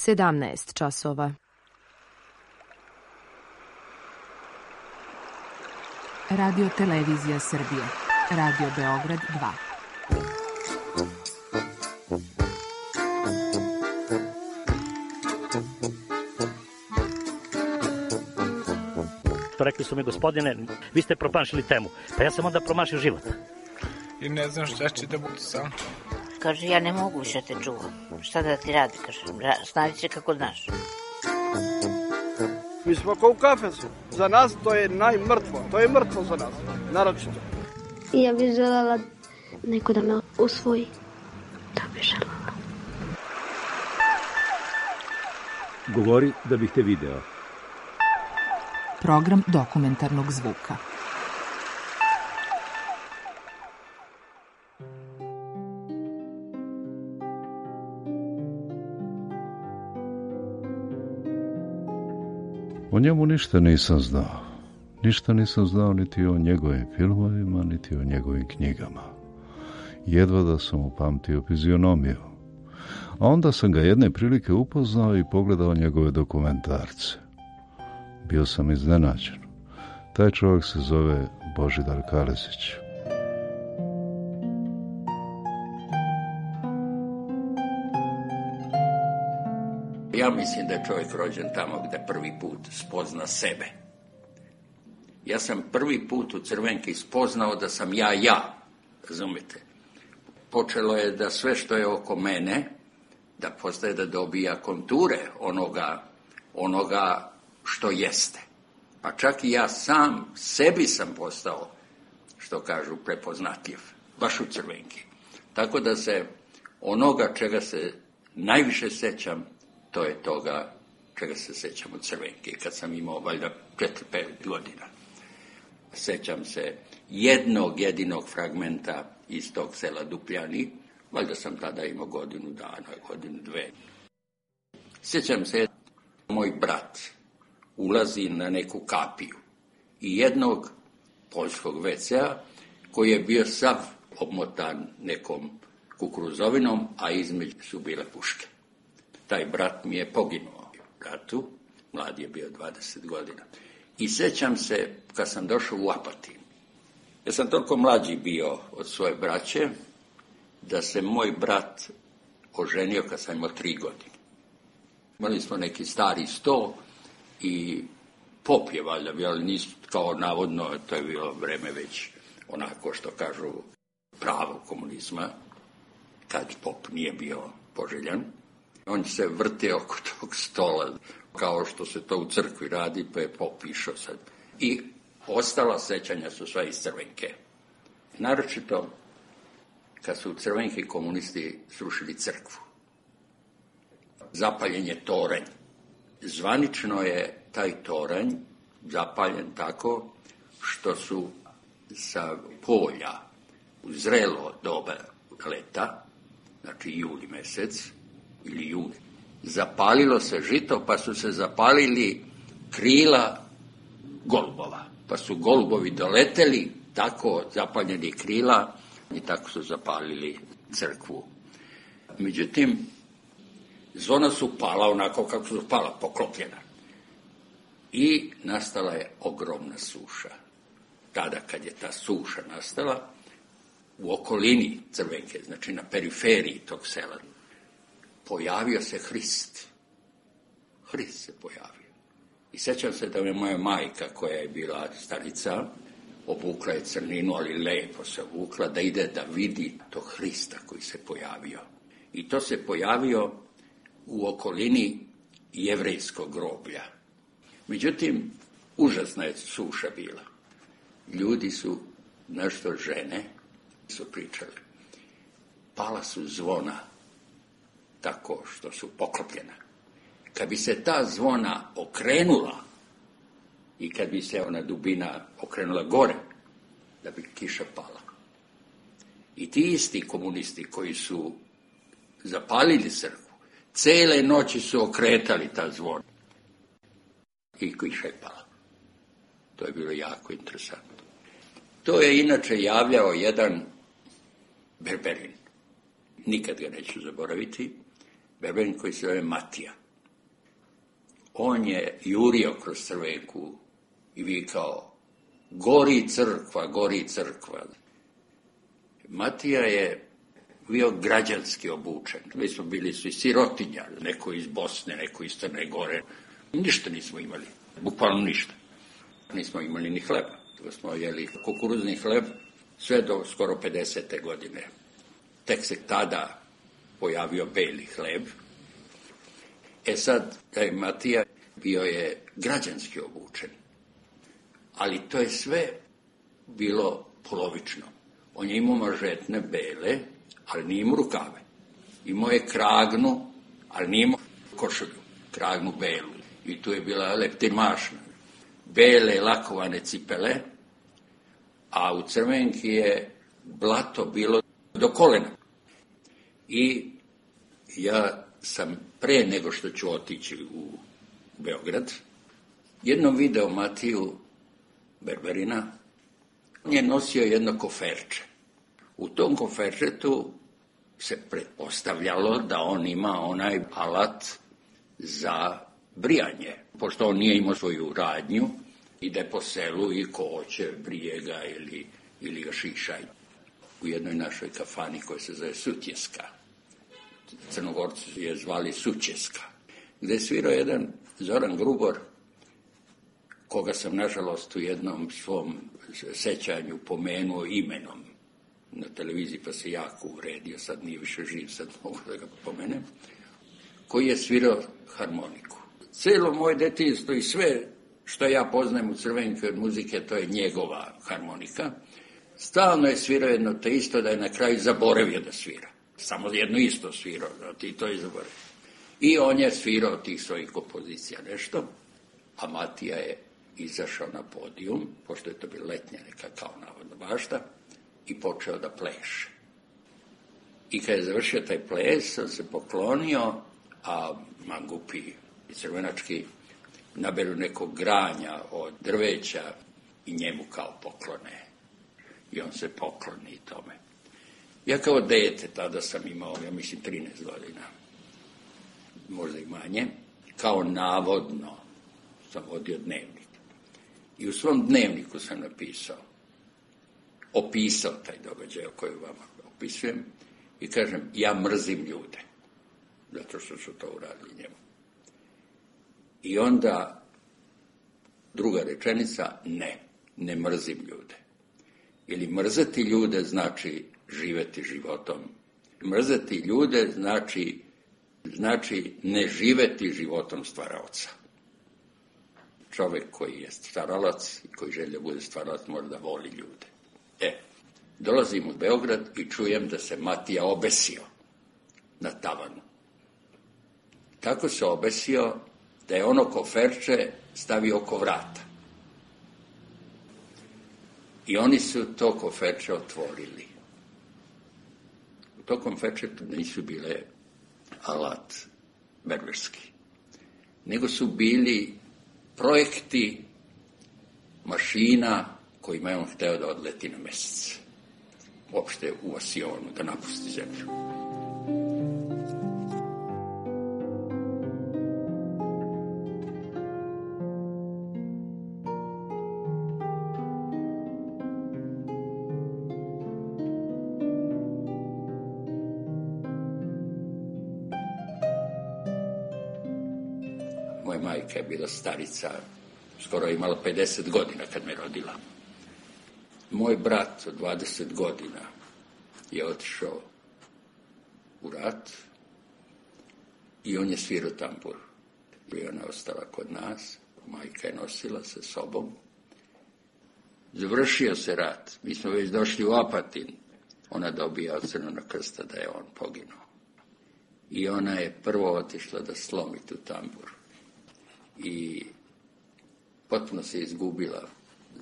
17 časova. Radio Televizija Srbije. Radio Beograd 2. Rekli su mi, gospodine, vi ste promašili temu. Pa ja sam onda promašio život. I ne znam šta će da bude sam. Kaže, ja ne mogu više te čuvam. Šta da ti radi, kaže, snađi se kako znaš. Mi smo kao u kafesu. Za nas to je najmrtvo. To je mrtvo za nas, naročito. Ja bih želela neko da me usvoji. To bih želela. Govori da bih te video. Program dokumentarnog zvuka. O njemu ništa nisam znao. Ništa nisam znao niti o njegovim filmovima, niti o njegovim knjigama. Jedva da sam upamtio fizionomiju. A onda sam ga jedne prilike upoznao i pogledao njegove dokumentarce. Bio sam iznenađen. Taj čovjek se zove Božidar Kalezić. Ja mislim da je čovjek rođen tamo gdje prvi put spozna sebe. Ja sam prvi put u Crvenki spoznao da sam ja, razumite. Počelo je da sve što je oko mene, da postaje da dobija konture onoga što jeste. Pa čak i ja sam sebi sam postao, što kažu, prepoznatljiv, baš u Crvenki. Tako da se onoga čega se najviše sećam, to je toga čega se sećam u Crvenki, kad sam imao valjda 4-5 godina. Sećam se jednog jedinog fragmenta iz tog sela Dupljani, valjda sam tada imao godinu dana, godinu dve. Sjećam se, moj brat ulazi na neku kapiju i jednog poljskog WC-a koji je bio sav obmotan nekom kukuruzovinom, a između su bile puške. Taj brat mi je poginuo u ratu, mlad je bio 20 godina. I sjećam se kad sam došao u Apatin. Ja sam toliko mlađi bio od svoje braće da se moj brat oženio kad sam imao 3 godine. Imali smo neki stari sto i pop je valjda bio, ali nisu kao navodno, to je bilo vreme već onako što kažu pravo komunizma, kad pop nije bio poželjan. On se vrtio oko tog stola, kao što se to u crkvi radi, pa je pop išao sad. I ostala sećanja su sve iz Crvenke. Naročito kad su u Crvenki komunisti srušili crkvu. Zapaljen je toranj. Zvanično je taj toranj zapaljen tako što su sa polja u zrelo doba leta, znači juli mjesec ili juni, zapalilo se žito, pa su se zapalili krila golubova. Pa su golubovi doleteli, tako zapaljeni krila, i tako su zapalili crkvu. Međutim, zvona su pala onako kako su pala, poklopljena. I nastala je ogromna suša. Tada kad je ta suša nastala, u okolini Crvenke, znači na periferiji tog sela, pojavio se Hrist. Hrist se pojavio. I sjećam se da je moja majka, koja je bila starica, obukla je crninu, ali lepo se obukla, da ide da vidi tog Hrista koji se pojavio. I to se pojavio u okolini jevrejskog groblja. Međutim, užasna je suša bila. Ljudi su, nešto žene, su pričali. Pala su zvona, tako što su poklopljena. Kad bi se ta zvona okrenula i kad bi se ona dubina okrenula gore, da bi kiša pala. I ti isti komunisti koji su zapalili crkvu, cele noći su okretali ta zvona i kiša je pala. To je bilo jako interesantno. To je inače javljao jedan Berberin. Nikad ga neću zaboraviti. Berberin koji se zove Matija. on je jurio kroz Crvenku i vikao: gori crkva, gori crkva. Matija je bio građanski obučen. Mi smo bili svi sirotinja, neko iz Bosne, neko iz Crne Gore. Ništa nismo imali, bukvalno ništa. Nismo imali ni hleba. Smo jeli kukuruzni hleb sve do skoro 50. godine. Tek se tada pojavio beli hleb. Sad, taj Matija bio je građanski obučen. Ali to je sve bilo polovično. On je imao mažetne bele, ali nije imao rukave. Imao je kragnu, ali nije imao košulju, kragnu belu. I tu je bila leptirmašna. Bele lakovane cipele, a u Crvenki je blato bilo do kolena. I ja sam pre nego što ću otići u Beograd, jednom video Matiju Berberina, on je nosio jedno koferče. U tom koferčetu se pretpostavljalo da on ima onaj alat za brijanje, pošto on nije imao svoju radnju, ide po selu i ko hoće brije ga ili ga šiša. U jednoj našoj kafani koja se zove Sutjeska, Crnogorci je zvali Sućeska, gde je svirao jedan Zoran Grubor, koga sam nažalost u jednom svom sećanju pomenuo imenom na televiziji, pa se jako uvredio, sad nije više živ, sad mogu da ga pomenem, koji je svirao harmoniku. Celo moje detinjstvo i sve što ja poznajem u Crvenki od muzike, to je njegova harmonika. Stalno je svirao jedno te isto, da je na kraju zaboravio da svira. Samo jedno isto svirao, i to je zaboravio. I on je svirao tih svojih kompozicija nešto, a Matija je izašao na podijum, pošto je to bila letnja neka kao navodna bašta, i počeo da pleše. I kad je završio taj ples, on se poklonio, a mangupi i crvenački naberu nekog granja od drveća i njemu kao poklone. I on se pokloni tome. Ja kao dete, tada sam imao, ja mislim, 13 godina, možda i manje, kao navodno sam vodio dnevnik. I u svom dnevniku sam opisao taj događaj o kojem vam opisujem i kažem, ja mrzim ljude, zato što su to uradili njemu. I onda druga rečenica, ne mrzim ljude. Ili mrzeti ljude znači živeti životom. Mrzeti ljude znači ne živeti životom stvaraoca. Čovjek koji je stvaralac i koji želi da bude stvaralac mora da voli ljude. Dolazim u Beograd i čujem da se Matija obesio na tavanu. Tako se obesio da je ono koferče stavio oko vrata. I oni su to koferče otvorili. U to koferče nisu bile alat berberski, nego su bili projekti mašina kojima je on hteo da odleti na mesec. Uopšte u Asionu, da napusti zemlju. Moja majka je bila starica, skoro je imala 50 godina kad me rodila. Moj brat od 20 godina je otišao u rat i on je svirao tambur. I ona ostala kod nas, majka je nosila sa sobom. Završio se rat, mi smo već došli u Apatin. Ona dobija od Crvenog krsta da je on poginuo. I ona je prvo otišla da slomi tu tambur. I potpuno se izgubila.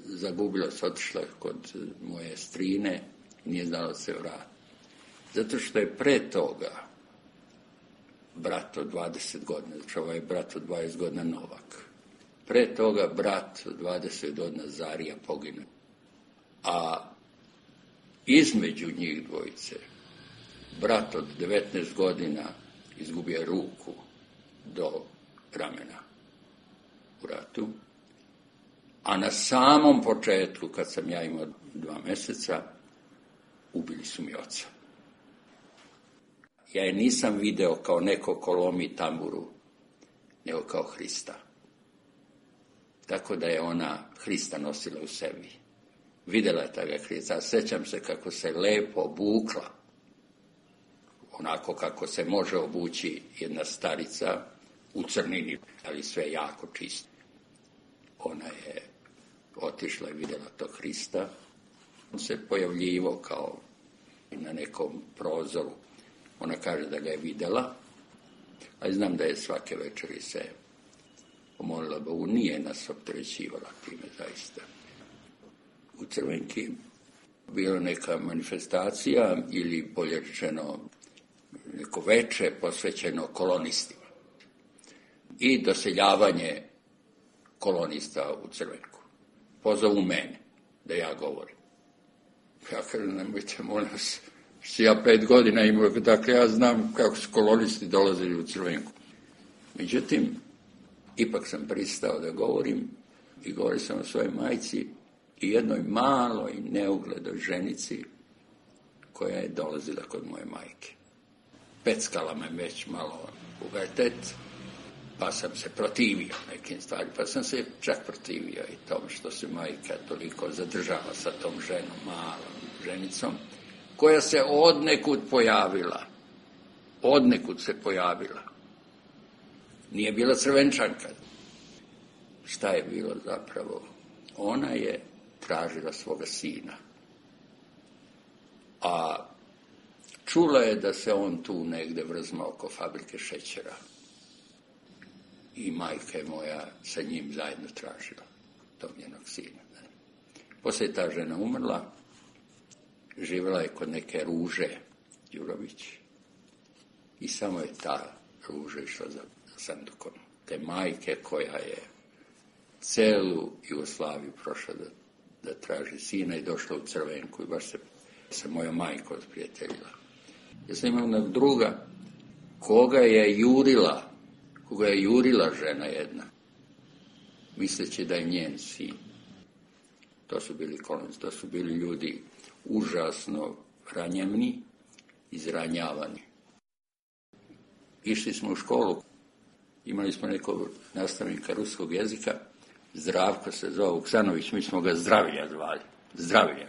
Zagubila se, otišla kod moje strine i nije znala da se vrati. Zato što je pre toga brat od 20 godina, znači ovaj brat od 20 godina Novak. Pre toga brat od 20 godina Zarija poginuo. A između njih dvojice brat od 19 godina izgubio ruku do ramena. ratu, a na samom početku, kad sam ja imao 2 mjeseca, ubili su mi oca. Ja je nisam video kao neko ko lomi tamburu, nego kao Hrista. Tako da je ona Hrista nosila u sebi. Vidjela je toga Hrista. Sjećam se kako se lepo obukla. Onako kako se može obući jedna starica u crnini, ali sve jako čisto. Ona je otišla i vidjela tog Hrista. On se pojavljivao kao na nekom prozoru. Ona kaže da ga je vidjela, ali znam da je svake večeri se pomolila Bogu. Nije nas opterećivala time zaista. U Crvenki bila neka manifestacija ili bolje rečeno neko veče posvećeno kolonistima i doseljavanje kolonista u Crvenku. Pozovu mene da ja govorim. Ja kažem, nemojte, molim vas, ja 5 godina imao, dakle ja znam kako su kolonisti dolazili u Crvenku. Međutim, ipak sam pristao da govorim i govorio sam o svojoj majci i jednoj maloj neugledoj ženici koja je dolazila kod moje majke. Peckala me već malo u vertet, pa sam se protivio nekim stvarima, pa sam se čak protivio i tom što se majka toliko zadržava sa tom ženom, malom ženicom, koja se odnekud pojavila. Odnekud se pojavila. Nije bila Crvenčanka. Šta je bilo zapravo? Ona je tražila svoga sina. A čula je da se on tu negde vrzma oko fabrike šećera. I majka je moja sa njim zajedno tražila tog njenog sina. Poslije je ta žena umrla, živjela je kod neke Ruže Đurović i samo je ta Ruža išla za sandukom. Te majke koja je celu Jugoslaviju prošla da traži sina i došla u Crvenku i baš se sa mojom majkom sprijateljila. Ja sam imao jednog druga koga je jurila žena jedna, misleći da je njen sin. To su bili kolonisti, to su bili ljudi užasno ranjeni, izranjavani. Išli smo u školu, imali smo nekog nastavnika ruskog jezika, Zdravko se zove Vuksanović, mi smo ga Zdravlja zvali. Zdravlja.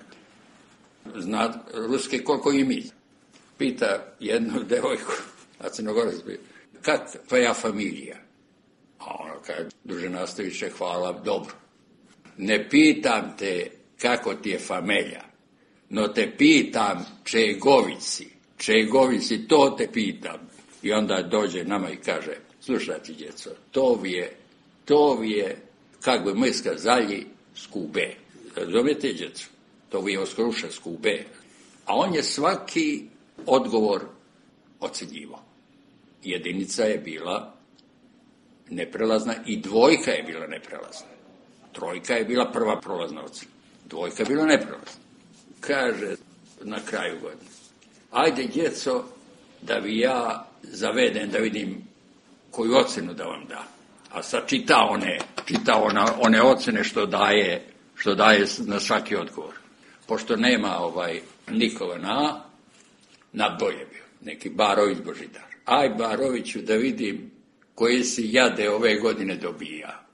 Zna ruske koliko i mi. Pita jednu devojku, a Crnogorac bio, kak tvoja familija? A ona kaže, druže Nastaviće, hvala, dobro. Ne pitam te kako ti je familija, no te pitam čegovici, to te pitam. I onda dođe nama i kaže, slušajte djeco, to vi je, kak bi mi skazali, skube. Razumijete djeco? To vi je oskruša skube. A on je svaki odgovor ocjenjivao. Jedinica je bila neprelazna i 2 je bila neprelazna. 3 je bila prva prolazna ocjena. 2 je bila neprelazna. Kaže na kraju godine, ajde djeco da vi ja zavedem da vidim koju ocjenu da vam da. A sad čita one ocjene što daje na svaki odgovor. Pošto nema nikoga na bolje bio. Neki Barović Božidar. Aj Baroviću da vidim koje si jade ove godine dobija.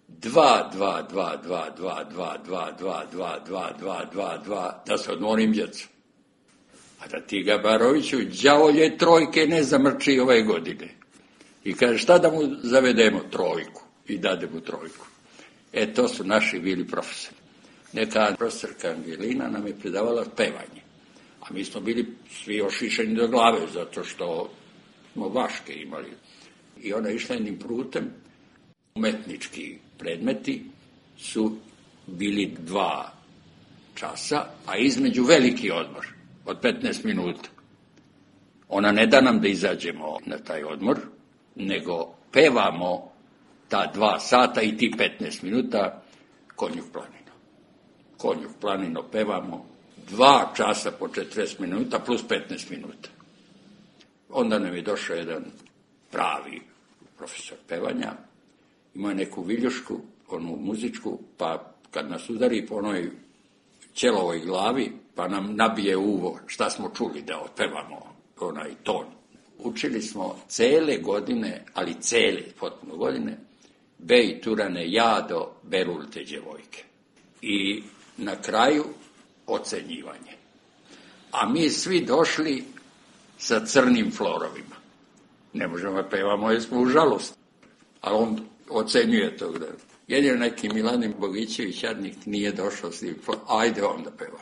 2, da se odmorim djecu. A da ti ga Baroviću đavolje 3 ne zamrči ove godine. I kaže šta da mu zavedemo 3 i dade mu 3. To su naši bili profesori. Neka profesorka Angelina nam je predavala pevanje. A mi smo bili svi ošišeni do glave zato što smo vaške imali. I ona je išla jednim putem. Umetnički predmeti su bili 2 časa, a između veliki odmor od 15 minuta. Ona ne da nam da izađemo na taj odmor, nego pevamo ta 2 sata i ti 15 minuta Konjuh planino. Konjuh planino pevamo 2 časa po 40 minuta plus 15 minuta. Onda nam je došao jedan pravi profesor pevanja Imao je neku viljušku, onu muzičku, pa kad nas udari po onoj ćelovoj glavi, pa nam nabije uvo šta smo čuli da otpevamo onaj ton. Učili smo cele godine, ali cele potpuno godine, Bej Turane jado, berul te djevojke. I na kraju ocenjivanje. A mi svi došli sa crnim florovima. Ne možemo pevamo, jer smo u žalost. A on ocenjuje to. Jedino neki Milanin Bogićević, jadnik, nije došao s tim florom. Ajde on da peva.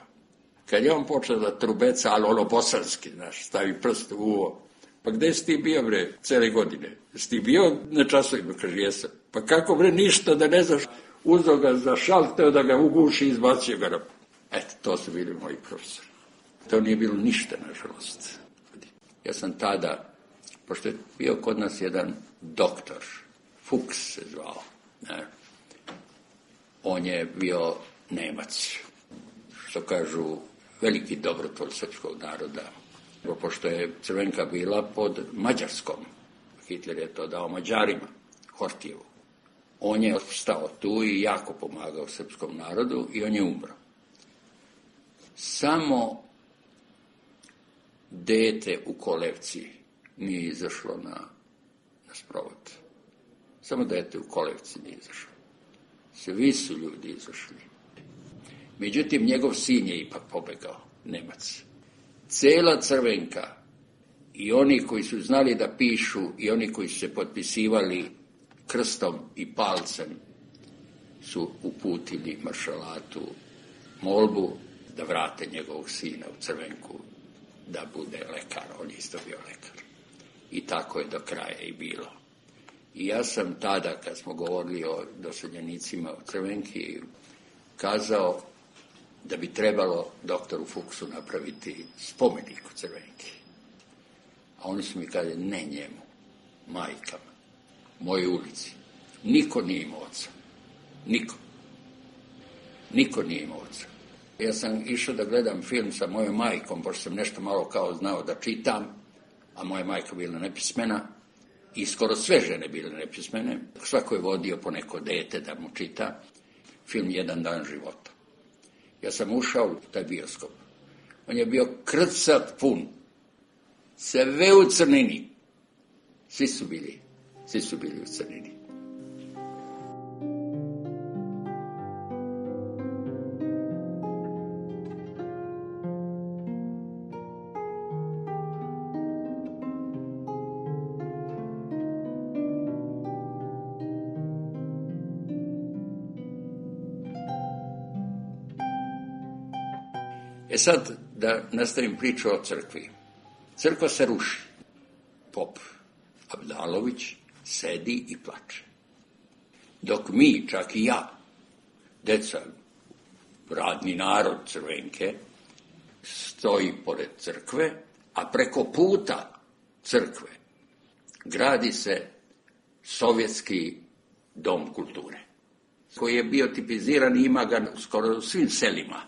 Kad je on počeo da trubeca, ali ono bosanski, znaš, stavi prst u uvo. Pa gde si ti bio, bre, cele godine? Si ti bio na časovima? Kaže, jesam. Pa kako, bre, ništa da ne znaš? Uzeo ga za šal, teo da ga uguši i izbacio ga. Eto, to su bili moji profesori. To nije bilo ništa, nažalost. Ja sam tada, pošto je bio kod nas jedan doktor, Fuchs se zvao, ne? On je bio Nemac, što kažu veliki dobrotvor srpskog naroda. Pošto je Crvenka bila pod Mađarskom, Hitler je to dao Mađarima, Hortijevu. On je ostao tu i jako pomagao srpskom narodu i on je umro. Samo dete u kolevci nije izašlo na sprovod. Samo dete u kolevci nije izašlo. Svi su ljudi izašli. Međutim, njegov sin je ipak pobegao, Nemac. Cela Crvenka i oni koji su znali da pišu i oni koji su se potpisivali krstom i palcem su uputili maršalatu molbu da vrate njegovog sina u Crvenku da bude lekar. On je isto bio lekar. I tako je do kraja i bilo. I ja sam tada, kad smo govorili o doseljenicima u Crvenki, kazao da bi trebalo doktoru Fuchsu napraviti spomenik u Crvenki. A oni su mi kazali, ne njemu, majkama, mojoj ulici. Niko nije imao oca. Niko. Niko nije imao oca. Ja sam išao da gledam film sa mojom majkom, pošto sam nešto malo kao znao da čitam, a moja majka bila nepismena i skoro sve žene bile nepismene. Svako je vodio po neko dete da mu čita film Jedan dan života. Ja sam ušao u taj bioskop. On je bio krcat pun. Sve u crnini. Svi su bili u crnini. Sad da nastavim priču o crkvi. Crkva se ruši. Pop Abdalović sedi i plače. Dok mi, čak i ja, deca, radni narod Crvenke, stoji pored crkve, a preko puta crkve gradi se Sovjetski dom kulture, koji je bio tipiziran i ima ga skoro u svim selima.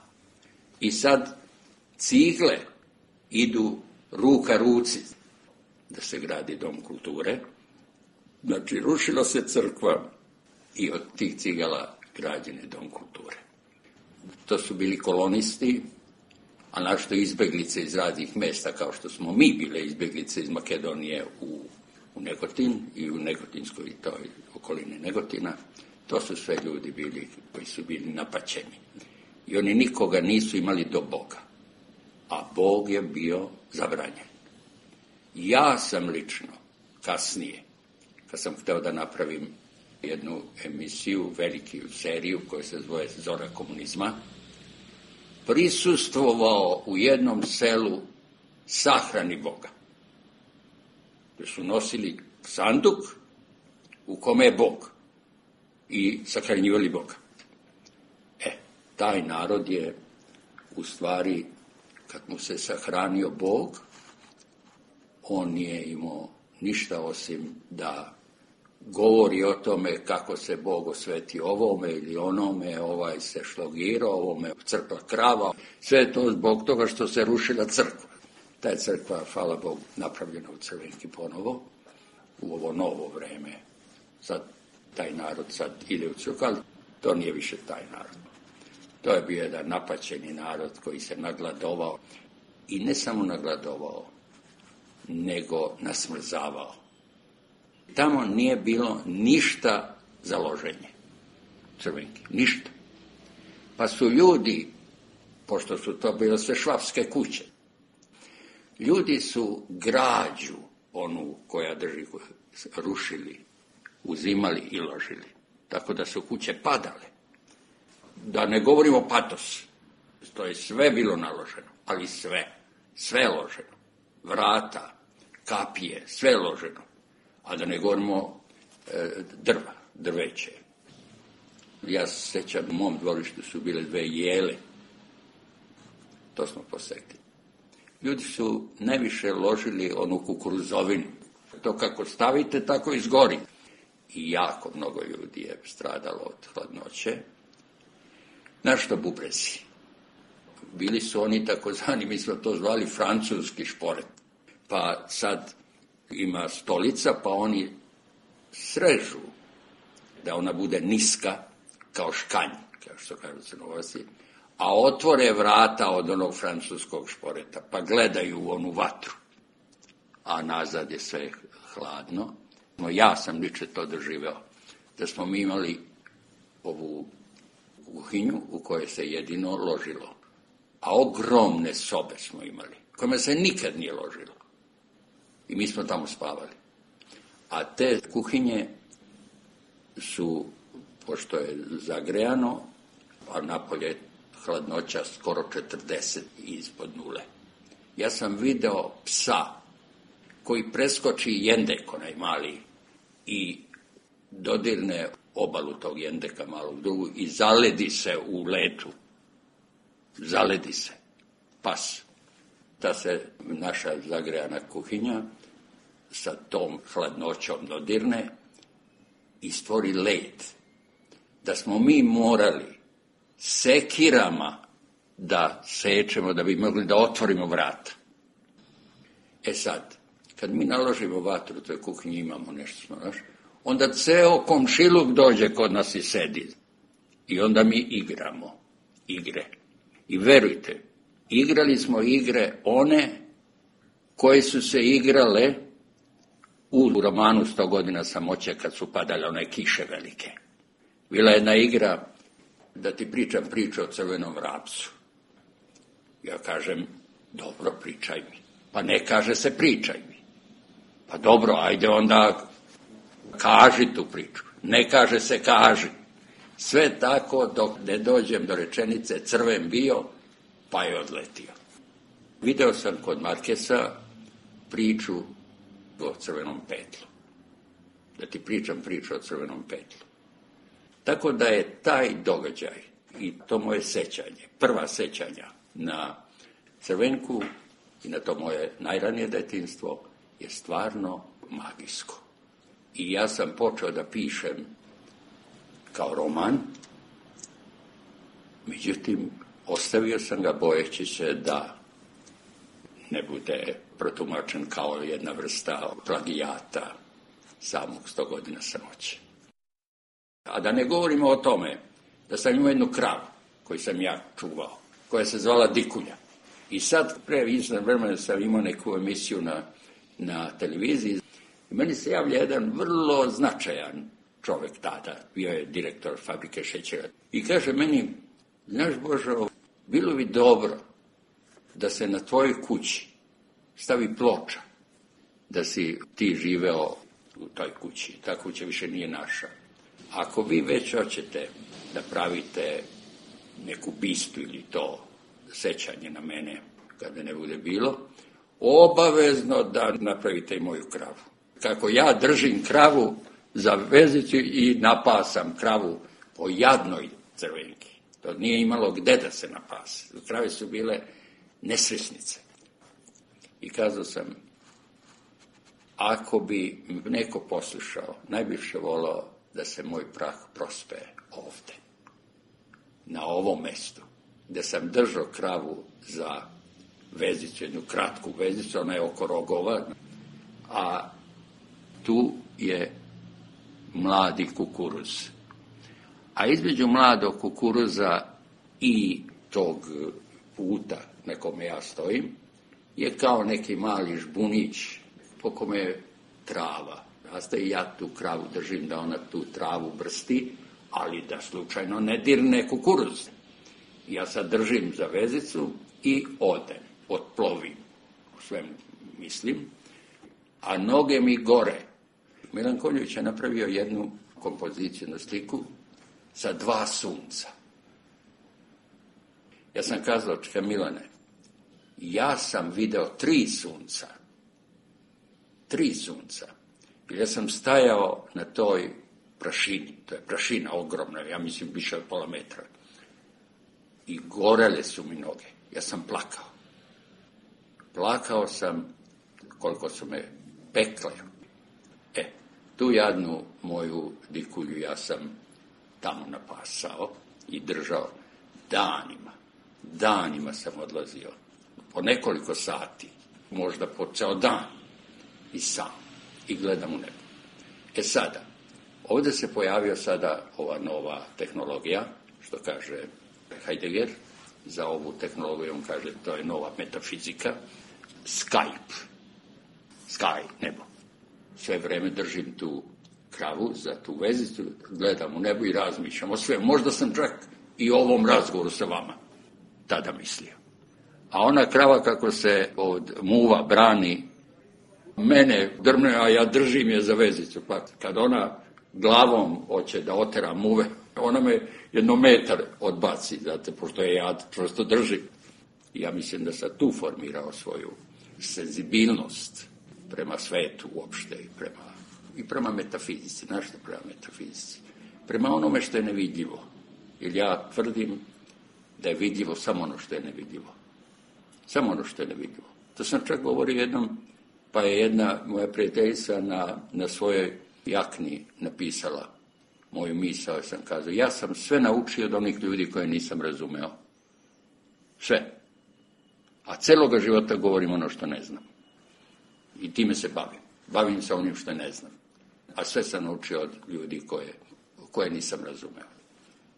I sad cigle idu ruka ruci da se gradi dom kulture. Znači, rušila se crkva i od tih cigala građen je dom kulture. To su bili kolonisti, a našto izbeglice iz raznih mesta, kao što smo mi bile izbeglice iz Makedonije u Negotin i u Negotinskoj i toj okolini Negotina. To su sve ljudi bili koji su bili napaćeni. I oni nikoga nisu imali do Boga. A Bog je bio zabranjen. Ja sam lično, kasnije, kad sam hteo da napravim jednu emisiju, veliku seriju koja se zove Zora komunizma, prisustvovao u jednom selu sahrani Boga. Gde su nosili sanduk u kome je Bog i sahranjivali Boga. Taj narod je, u stvari, kad mu se sahranio Bog, on nije imao ništa osim da govori o tome kako se Bog osveti ovome ili onome, ovaj se šlogirao, ovome crkla krava. Sve je to zbog toga što se rušila crkva. Ta je crkva, hvala Bogu, napravljena u Crvenki ponovo, u ovo novo vreme. Sad taj narod sad ide u crkvu, ali to nije više taj narod. To je bio jedan napaćeni narod koji se nagladovao. I ne samo nagladovao, nego nasmrzavao. Tamo nije bilo ništa za loženje Crvenki, ništa. Pa su ljudi, pošto su to bile sve švapske kuće, ljudi su građu, onu koja drži, rušili, uzimali i ložili. Tako da su kuće padale. Da ne govorimo patos, to je sve bilo naloženo, ali sve loženo. Vrata, kapije, sve loženo. A da ne govorimo drveće. Ja se sjećam, u mom dvorištu su bile 2 jele. To smo posekli. Ljudi su najviše ložili onu kukuruzovinu. To kako stavite, tako izgori. I jako mnogo ljudi je stradalo od hladnoće. Našto bubrezi. Bili su oni takozvani, mi smo to zvali francuski šporet. Pa sad ima stolica, pa oni srežu da ona bude niska kao škanj, kao što kažu Crnogorci, a otvore vrata od onog francuskog šporeta, pa gledaju u onu vatru, a nazad je sve hladno. No, ja sam lično to doživeo, da smo mi imali ovu kuhinju u kojoj se jedino ložilo, a ogromne sobe smo imali, kojima se nikad nije ložilo. I mi smo tamo spavali. A te kuhinje su, pošto je zagrejano, a napolje hladnoća skoro 40 ispod nule. Ja sam video psa koji preskoči jendek, onaj mali, i dodirne obalu tog jendeka malog drugu i zaledi se u letu. Zaledi se. Pas. Ta se naša zagrejana kuhinja sa tom hladnoćom dodirne i stvori led. Da smo mi morali sekirama da sečemo, da bi mogli da otvorimo vrata. E sad, kad mi naložimo vatru u toj kuhinji, imamo nešto smo naš, onda ceo komšiluk dođe kod nas i sedi. I onda mi igramo igre. I verujte, igrali smo igre one koje su se igrale u romanu 100 godina samoće kad su padale one kiše velike. Bila je jedna igra da ti pričam priču o crvenom vrapcu. Ja kažem, dobro, pričaj mi. Pa ne kaže se pričaj mi. Pa dobro, ajde onda kaži tu priču. Ne kaže se kaži. Sve tako dok ne dođem do rečenice crven bio, pa je odletio. Video sam kod Markesa priču o crvenom petlu. Da ti pričam priču o crvenom petlu. Tako da je taj događaj i to moje sećanje, prva sećanja na Crvenku i na to moje najranije detinjstvo je stvarno magijsko. I ja sam počeo da pišem kao roman, međutim, ostavio sam ga bojeći se da ne bude protumačen kao jedna vrsta plagijata samog 100 godina samoće. A da ne govorimo o tome da sam imao jednu kravu koju sam ja čuvao, koja se zvala Dikulja. I sad, pre izvan vremena sam imao neku emisiju na televiziji. I meni se javlja jedan vrlo značajan čovjek tada, bio je direktor fabrike šećera. I kaže meni, znaš Božo, bilo bi dobro da se na tvojoj kući stavi ploča, da si ti živeo u toj kući. Ta kuća više nije naša. Ako vi već hoćete da pravite neku bistu ili to sećanje na mene, kada ne bude bilo, obavezno da napravite i moju kravu. Kako ja držim kravu za vezicu i napasam kravu po jadnoj Crvenki. To nije imalo gde da se napase. Krave su bile nesrećnice. I kazao sam, ako bi neko poslušao, najviše volao da se moj prah prospe ovde, na ovom mestu, gde sam držao kravu za vezicu, jednu kratku vezicu, ona je oko rogova, a tu je mladi kukuruz. A između mladog kukuruza i tog puta na kome ja stojim je kao neki mali žbunić po kome je trava. I ja tu kravu držim da ona tu travu brsti, ali da slučajno ne dirne kukuruz. Ja sad držim za vezicu i odem, otplovim, o svemu mislim, a noge mi gore. Milan Konjović je napravio jednu kompoziciju na sliku sa 2 sunca. Ja sam kazao, čekaj Milane, ja sam video 3 sunca. 3 sunca. Ja sam stajao na toj prašini, to je prašina ogromna, ja mislim više od pola metra. I gorele su mi noge. Ja sam plakao. Plakao sam koliko su me pekle. Tu jadnu moju dikulju ja sam tamo napasao i držao danima. Danima sam odlazio. Po nekoliko sati, možda po ceo dan. I sam. I gledam u nebo. Sada, ovdje se pojavio sada ova nova tehnologija, što kaže Heidegger, za ovu tehnologiju on kaže to je nova metafizika, Skype, Sky, nebo. Sve vreme držim tu kravu za tu vezicu, gledam u nebo i razmišljam o sve. Možda sam čak i o ovom razgovoru sa vama tada mislio. A ona krava kako se od muva brani, mene drmne, a ja držim je za vezicu. Pa kad ona glavom hoće da otera muve, ona me 1 metar odbaci, znate, pošto je ja prosto držim. Ja mislim da sam tu formirao svoju senzibilnost prema svetu uopšte i prema metafizici. Znaš što prema metafizici? Prema onome što je nevidljivo. Jer ja tvrdim da je vidljivo samo ono što je nevidljivo. Samo ono što je nevidljivo. To sam čak govorio jednom, pa je jedna moja prijateljica na svojoj jakni napisala moju misao, ja sam kazao, ja sam sve naučio od onih ljudi koje nisam razumeo. Sve. A celoga života govorim ono što ne znam. I time se bavim. Bavim se onim što ne znam. A sve sam naučio od ljudi koje nisam razumeo.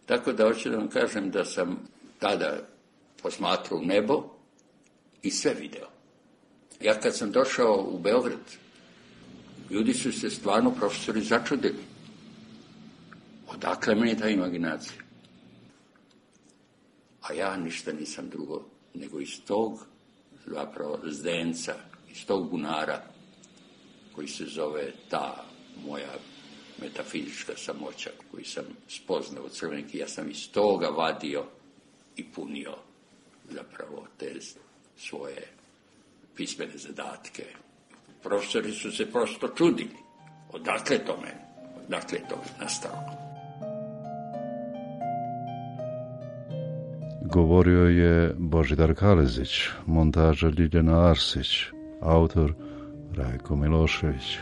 Tako da hoću da vam kažem da sam tada posmatrao u nebo i sve video. Ja kad sam došao u Beograd, ljudi su se stvarno, profesori, začudili. Odakle meni ta imaginacija? A ja ništa nisam drugo, nego iz tog zapravo zdenca, iz tog bunara koji se zove ta moja metafizička samoća koju sam spoznao od crvenki, ja sam iz toga vadio i punio zapravo te svoje pismene zadatke. Profesori su se prosto čudili. Odakle to meni? Odakle to nastalo? Govorio je Božidar Kalezić, montaža Ljiljana Arsić, autor Rajko Milošević.